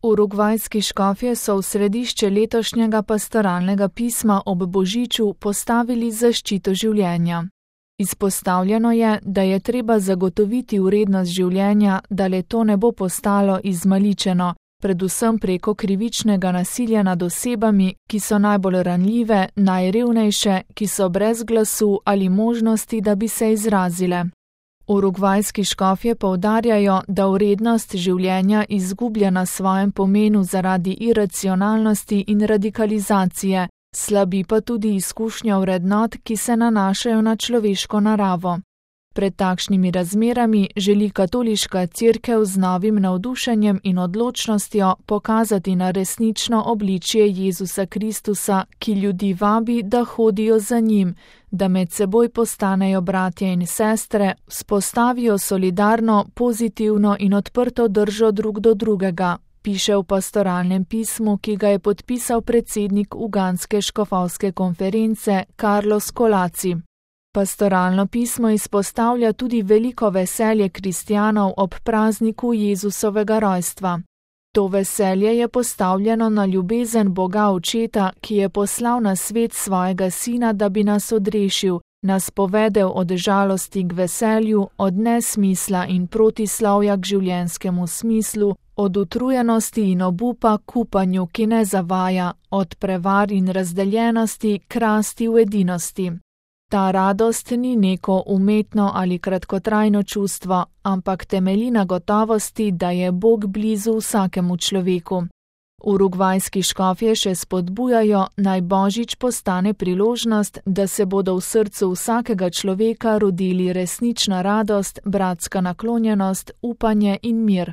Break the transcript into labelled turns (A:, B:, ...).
A: Urugvajski škofje so v središče letošnjega pastoralnega pisma ob Božiču postavili zaščito življenja. Izpostavljeno je, da je treba zagotoviti vrednost življenja, da le to ne bo postalo izmaličeno, predvsem preko krivičnega nasilja nad osebami, ki so najbolj ranljive, najrevnejše, ki so brez glasu ali možnosti, da bi se izrazile. Urugvajski škofje poudarjajo, da vrednost življenja izgublja na svojem pomenu zaradi iracionalnosti in radikalizacije, slabi pa tudi izkušnja vrednot, ki se nanašajo na človeško naravo. Pred takšnimi razmerami želi katoliška cerkev z novim navdušenjem in odločnostjo pokazati na resnično obličje Jezusa Kristusa, ki ljudi vabi, da hodijo za njim, da med seboj postanejo bratje in sestre, vzpostavijo solidarno, pozitivno in odprto držo drug do drugega, piše v pastoralnem pismu, ki ga je podpisal predsednik Ugandske škofovske konference Carlos Colaci. Pastoralno pismo izpostavlja tudi veliko veselje kristjanov ob prazniku Jezusovega rojstva. To veselje je postavljeno na ljubezen Boga Očeta, ki je poslal na svet svojega sina, da bi nas odrešil, nas povedel od žalosti k veselju, od nesmisla in protislovja k življenjskemu smislu, od utrujenosti in obupa k upanju, ki ne zavaja, od prevar in razdeljenosti k rasti v edinosti. Ta radost ni neko umetno ali kratkotrajno čustvo, ampak temelji na gotovosti, da je Bog blizu vsakemu človeku. Urugvajski škofje še spodbujajo, naj Božič postane priložnost, da se bodo v srcu vsakega človeka rodili resnična radost, bratska naklonjenost, upanje in mir.